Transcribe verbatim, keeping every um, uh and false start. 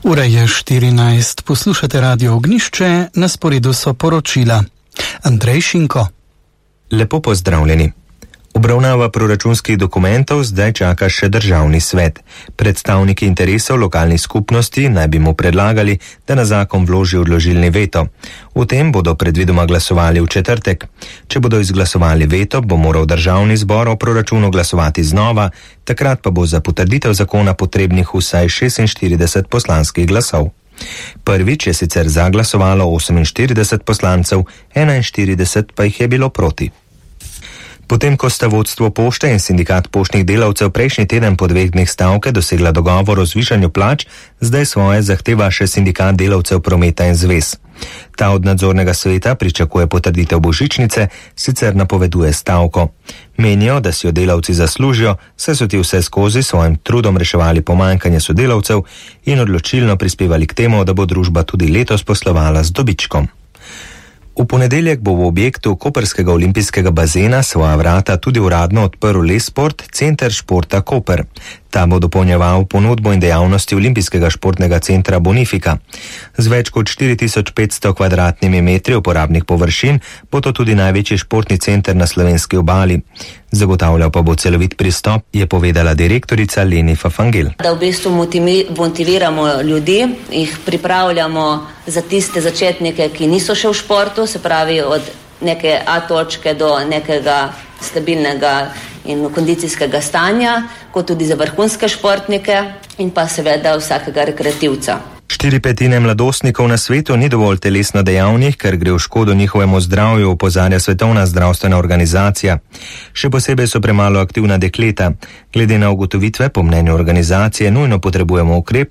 Ura je štirinajst, poslušate Radio Ognišče, na sporedu so poročila. Andrej Šinko. Lepo pozdravljeni. Obravnava proračunskih dokumentov zdaj čaka še državni svet. Predstavniki interesov lokalnih skupnosti naj bi mu predlagali, da na zakon vloži odložilni veto. O tem bodo predvidoma glasovali v četrtek. Če bodo izglasovali veto, bo moral državni zbor o proračunu glasovati znova, takrat pa bo za potrditev zakona potrebnih vsaj šestinštirideset poslanskih glasov. Prvič je sicer zaglasovalo oseminštirideset poslancev, enainštirideset pa jih je bilo proti. Potem, ko sta vodstvo pošte in sindikat poštnih delavcev prejšnji teden po dveh dneh stavke dosegla dogovor o zvišanju plač, zdaj svoje zahteva še sindikat delavcev prometa in zvez. Ta od nadzornega sveta pričakuje potrditev božičnice, sicer napoveduje stavko. Menijo, da si jo delavci zaslužijo, saj so ti vse skozi svojim trudom reševali pomanjkanje sodelavcev in odločilno prispevali k temu, da bo družba tudi letos poslovala z dobičkom. V ponedeljek bo v objektu koprskega olimpijskega bazena svoja vrata tudi uradno odprl Lesport, center športa Koper. Ta bo dopolnjeval ponudbo in dejavnosti olimpijskega športnega centra Bonifika. Z več kot štiri tisoč petsto kvadratnimi metri uporabnih površin bo to tudi največji športni center na slovenski obali. Zagotavljal pa bo celovit pristop, je povedala direktorica Leni Fafangel. Da v bistvu motiviramo ljudi, jih pripravljamo za tiste začetnike, ki niso še v športu, se pravi od neke A točke do nekega stabilnega in kondicijskega stanja, kot tudi za vrhunske športnike in pa seveda vsakega rekreativca. Štiri petine mladostnikov na svetu ni dovolj telesno dejavnih, ker gre v škodo njihovemu zdravju, opozarja Svetovna zdravstvena organizacija. Še posebej so premalo aktivna dekleta. Glede na ugotovitve, po mnenju organizacije, nujno potrebujemo ukrep,